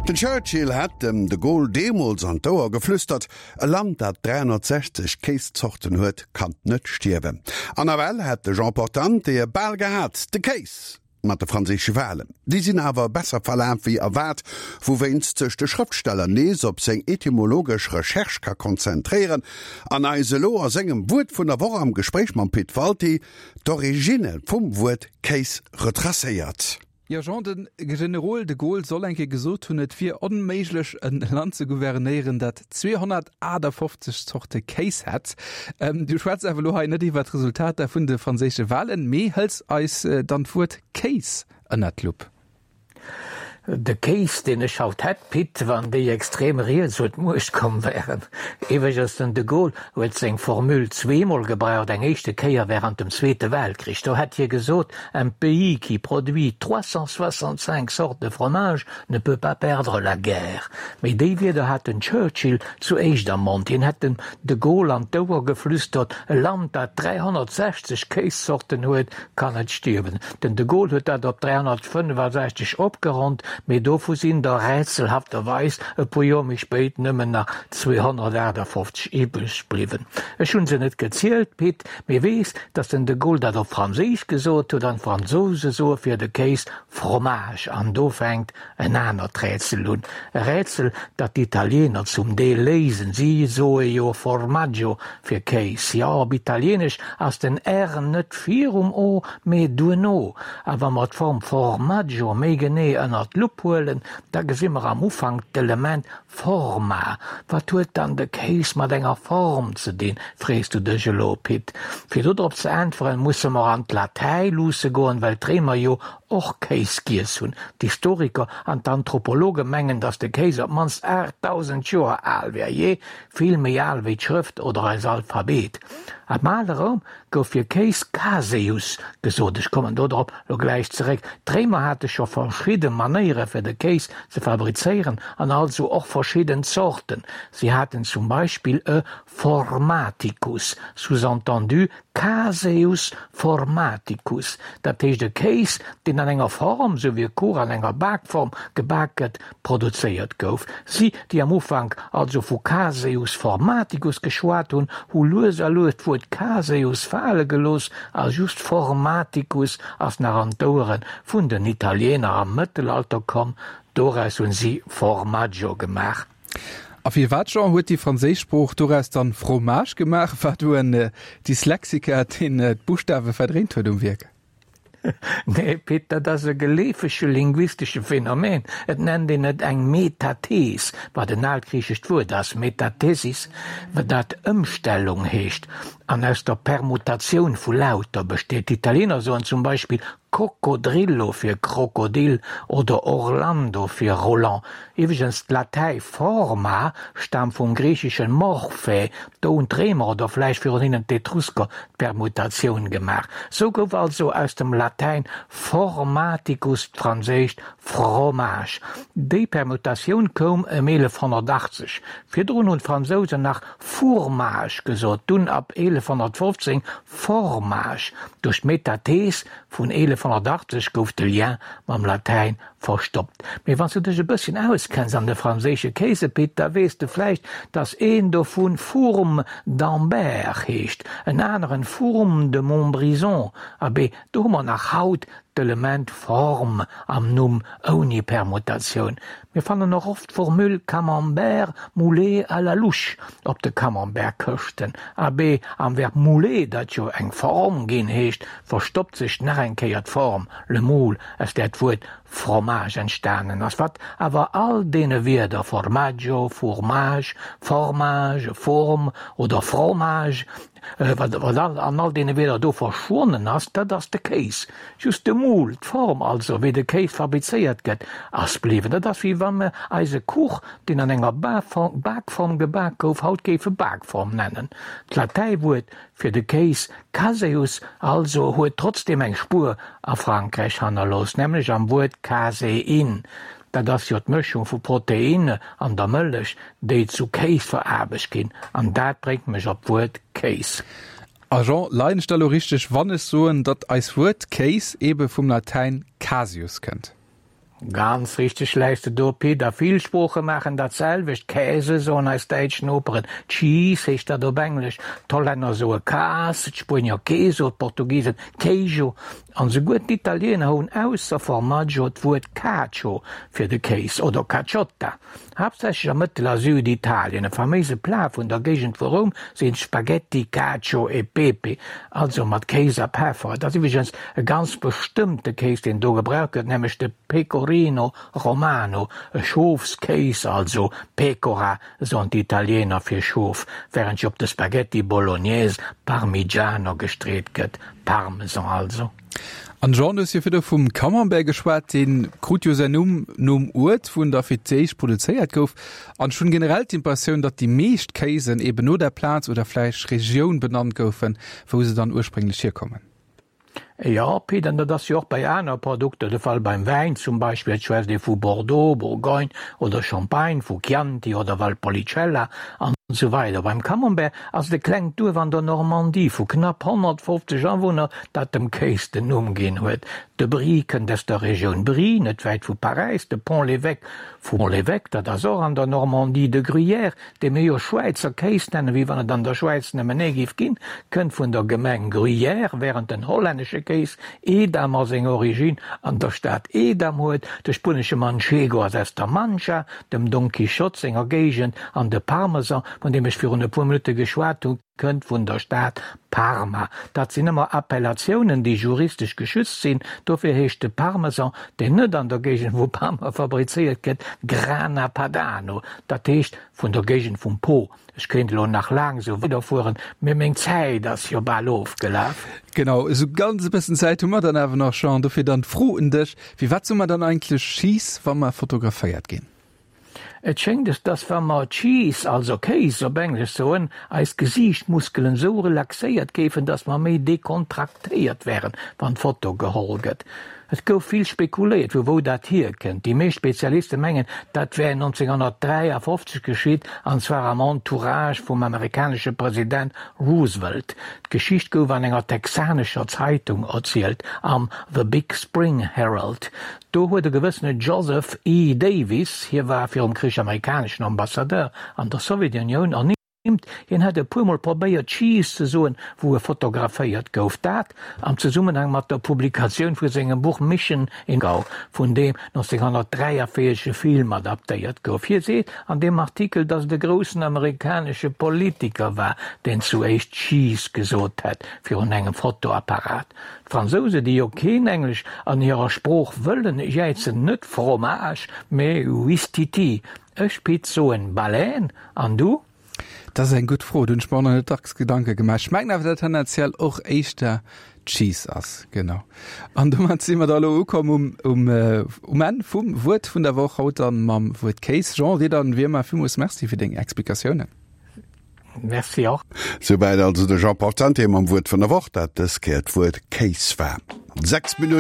Den Churchill hätt dem de Gaulle deemools an d'Ouer geflüstert, E Land, dat 360 Kéiszorten huet, kann net stierwen. An nawell hätt de Jean Portante e bal gehat, de Kéis mat de franséische Walen. Déi sinn awer besser verlaf wéi erwaart, wouwéinst sech de Schrëftsteller nees op seng etymologesch Recherche ka konzentréieren an eis elo a sengem Wuert vun der Woch am Gespréich mam Pit Walté d'Originne vum Wuert Kéis retracéiert. Jo Jean, de Generol de Gaulle soll eng Kéier gesot hunn, et wier onméiglech en Land ze gouvernéieren, dat 258 Zorte Kéis hätt. Du schwätz awer elo hei net iwwer d'Resultater vun de franséische Wahlen, mee hëls eis dann d'Wuert Kéis ënnert d'Lupp. De Kéis, deen ech haut hätt, Pit, wann déi extrem Riets un d'Muecht komm wären. Iwweregens, den de Gaulle huet seng Formule zweemol gebraucht, eng éischte Kéier während dem Zweete Weltkrich, do hätt hie gesot, Un pays qui produit 365 sortes de fromage ne peut pas perdre la guerre. Mee déi Wierder hat den Churchill zu éischt am Mond. Hien hätt dem de Gaulle an d'Ouer geflüstert, E Land, dat 360 Kéiszorten huet, kann net stierwen. Den de Gaulle huet dat op 365 opgeronnt, mee dovu sinn der rätselhafterweis e puer Joer méi spéit nëmmen nach 258 iwwreg bliwwen. Ech hunn se net gezielt, Pit, Mee weess, datt den de Gaulle dat op Franséisch gesot huet, an d'Fransouse soe fir de Kéis fromage. An do fänkt en anert Rätsel un, e Rätsel, dat d'Italiener zum Deel léisen. Si soe jo formaggio fir Kéis. Jo, op Italienesch ass den r net virum o, mee duerno. A wa mer d'Form formaggio méi genee ënner d'Lupp huelen, da gesi mer am Ufank d'Element Forma, Wat huet dann de Kéis mat enger Form ze dinn, frees du dech elo, Pit? Fir dodrop ze äntweren, musse mer an d'Latäi luusse goen, well d'Réimer jo och Kéis giess hunn. D'Historiker an d'Anthropologe mengen, datt de Kéis op d'mannst 8.000 Joer al wär, jee, vill méi al wéi d'Schrëft oder eis Alphabet. Am ale Roum gouf fir Kéis caseus gesot, ech kommen dodrop lo gläich zeréck. D'Réimer hate scho verschidde Manéiere fir de Kéis ze fabrizéieren an also och verschidden Zorten. Si haten zum Beispill e formaticus, sous-entendu caseus formaticus, dat heescht e Kéis, deen an enger Form, sou wéi e Kuch an enger Bakform gebak gëtt, produzéiert gouf. Si, déi am Ufank also vu Caseus formaticus geschwat hunn, hu lues a lues d'Wuert Caseus fale gelooss a just formaticus ass nach an d'Ouere vun den Italiener am Mëttelalter komm. Doraus hunn si Formaggio gemaach. A firwat, Jean, huet déi franséisch Sprooch doraus dann Fromage gemaach? War do en Dyslexiker, deen d'Buschtawe verdréint huet um Wierk? Nee, Pit, dat ass e geleefege linguistesche Phänomen. Et nennt een et eng Metathees, wat en algriichescht Wuert ass, metathesis, dat Ëmstellung heescht an aus der Permutatioun vu Lauter besteet. D'Italiener soen zum Beispill coccodrillo fir Krokodil oder Orlando fir Roland. Iwwregens, d'Latäi forma staamt vum griicheschen morphe, do hunn d'Réimer oder vläicht virun hinnen d'Etrusker d'Permutatioun gemaach. Sou gouf also aus dem Latäin formaticus d'franséischt fromage. Déi Permutatioun koum ëm 1180. Virdrun hunn d'Fransousen nach fourmage gesot, dunn ab 1115 formage. Duerch d'Metathees vun 1180 gouf de Lien mam Latäin Verstoppt. Mee wann s du dech e bësschen auskenns an de franséische Kéise, Pit, da weess de vläicht, dass een dovu Fourme d'Ambert heescht, en aneren Fourme de Montbrison. Abee, do hu mer nach haut d'Element Form am Numm ouni Permutatioun. Mir fannen och oft d'Formule Camembert moulé à la louche op de Camembert-Këschten. Abee, am Verb mouler, dat jo eng Form ginn heescht, verstoppt sech nach eng Kéier d'Form, le moule, aus där d'Wuert Fromage entstanen ass, wat awer all deene Wierder formaggio, fourmage, formage, fourme oder fromage, wat an all deene Wierder do verschwonnen ass, dat ass de Kéis. Just de Moule, d'Form also, wéi de Kéis fabrizéiert gëtt, ass bliwwen. Dat ass wéi wa mer eise Kuch, deen an enger Bakform gebak gouf, haut géife Bakform nennen. D'Latäiwuert fir de Kéis Caseus also huet trotzdeem eng Spuer a Frankräich hannerlooss, nämlech am Wuert Caséin. Dat ass jo d'Mëschung vu Proteine an der Mëllech, déi zu Kéis veraarbecht ginn. An dat bréngt mech op d'Wuert Kéis. A Jean, leien ech da lo richteg, wann ech soen, datt eis Wuert Kéis ebe vum Latäin caseus kënnt? Ganz richteg läis de do, Pit. A vill Sprooche maachen dat selwecht. Käse soen eis däitsch Noperen, Cheese heescht dat op Englesch, d'Hollänner soe Kaas, d'Spuenier Queso, d'Portugisen Queijo an souguer d'Italiener hunn ausser Formaggio d'Wuert Cacio fir de Kéis oder Caciotta. Haaptsächlech a Mëttel a Süditalien. E faméise Plat vun der Géigend vu Roum sinn d'Spaghetti Cacio e Pepe, also mat Kéis a Peffer. Et ass iwwregens e ganz bestëmmte Kéis, deen do gebraucht gëtt, nämlech de Pecorino Romano, e Schofskéis, also Pecora soen d'Italiener fir Schof, wärend jo op de Spaghetti Bolognese Parmigiano gestreet gëtt, Parmesan also. An Jean, du hues jo virdu vum Camembert geschwat, dee krut jo säin Numm nom Uert, wou en da fir d'éischt produzéiert gouf. An ech hunn generell d'Impressioun, datt déi meescht Kéisen eben no der Plaz oder vläicht Regioun benannt goufen, wou se dann ursprénglech hierkommen. Jo, Pit, an dat ass jo och bei aner Produkter de Fall, beim Wäin zum Beispill, et schwätzt ee vu Bordeaux, Bourgogne oder Champagne, vu Chianti oder Valpolicella an esou weider. Beim Camembert ass et e klengt Duerf an der Normandie vu knapp 150 Awunner, dat dem Kéis den Numm ginn huet. De Brie kënnt aus der Regioun Brie, net wäit vu Paräis, de Pont-l'Évêque vu Pont-l'Évêque, dat ass och an der Normandie, de Gruyère, dee mir jo Schwäizer Kéis nennen, wéi wann et an der Schwäiz nëmmen ee géif ginn, kënnt vun der Gemeng Gruyères, wärend den hollännesche Kéis Edamer seng Originn an der Stad Edam huet. De spuenesche Manchego ass aus der Mancha, dem Don Quichotte senger Géigend, an de Parmesan, vun deem ech virun e puer Minutte geschwat hunn, kënnt vun der Stad Parma. Dat sinn ëmmer Appellatiounen, déi juristesch geschützt sinn. Dofir heescht de Parmesan, deen net an der Géigend vu Parma fabrizéiert gëtt, Grana Padano, dat heescht vun der Géigend vum Po. Ech kéint elo nach laang esou weiderfueren, mee meng Zäit ass jo bal ofgelaf. Genau, esou ganz e bëssen Zäit hu mer dann awer nach, Jean. Dofir dann d'Fro un dech, Firwat soe mer dann eigentlech Cheese, wa mer fotograféiert ginn? Et schéngt es, dass wa mer Cheese, also Kéis op Englesch, soen, eis Gesiichtmuskelen esou relaxéiert géifen, dass mer méi dekontraktéiert wären, wann d'Foto geholl gëtt. Et gouf vill spekuléiert, vu wou dat hierkënnt. Déi meescht Spezialiste mengen, dat wär 1953 geschitt, an zwar am Entourage vum amerikanesche President Roosevelt. D'Geschicht gouf an enger texanescher Zeitung erzielt, am The Big Spring Herald. Do huet e gewëssene Joseph E. Davis, hie war virum Krich amerikaneschen Ambassadeur an der Sowjetunioun, ernimmt, hien hätt e puermol probéiert Cheese ze soen, wou e fotograféiert gouf. Dat am Zesummenhang mat der Publikatioun vu sengem Buch Mission in Moscow, vun deem 1943 e Film adaptéiert gouf. Hie seet an deem Artikel, datt et e groussen amerikanesche Politiker war, deen zu éischt Cheese gesot hätt virun engem Fotoapparat. D'Fransouse, déi jo keen Englesch an hirer Sprooch wëllen, jäizen net Fromage, mee Ouistiti. Ech, Pit, soen Baleine, an du? Dat ass eng gutt Fro, do hunn ech mer och nach net dacks Gedanke gemaach. Ech mengen awer, datt tendenziell och éischter Cheese ass. Genau. An domat si mer da elo ukomm um, um, um Enn vum Wuert vun der Woch, haut dann mam Wuert Kéis. Jean, dir dann wéi ëmmer villmools Merci fir deng Explikatiounen. Merci och. Souwäit also de Jean Portante mam Wuert vun der Woch, dat dës Kéier d'Wuert Kéis war. 6 Minutten.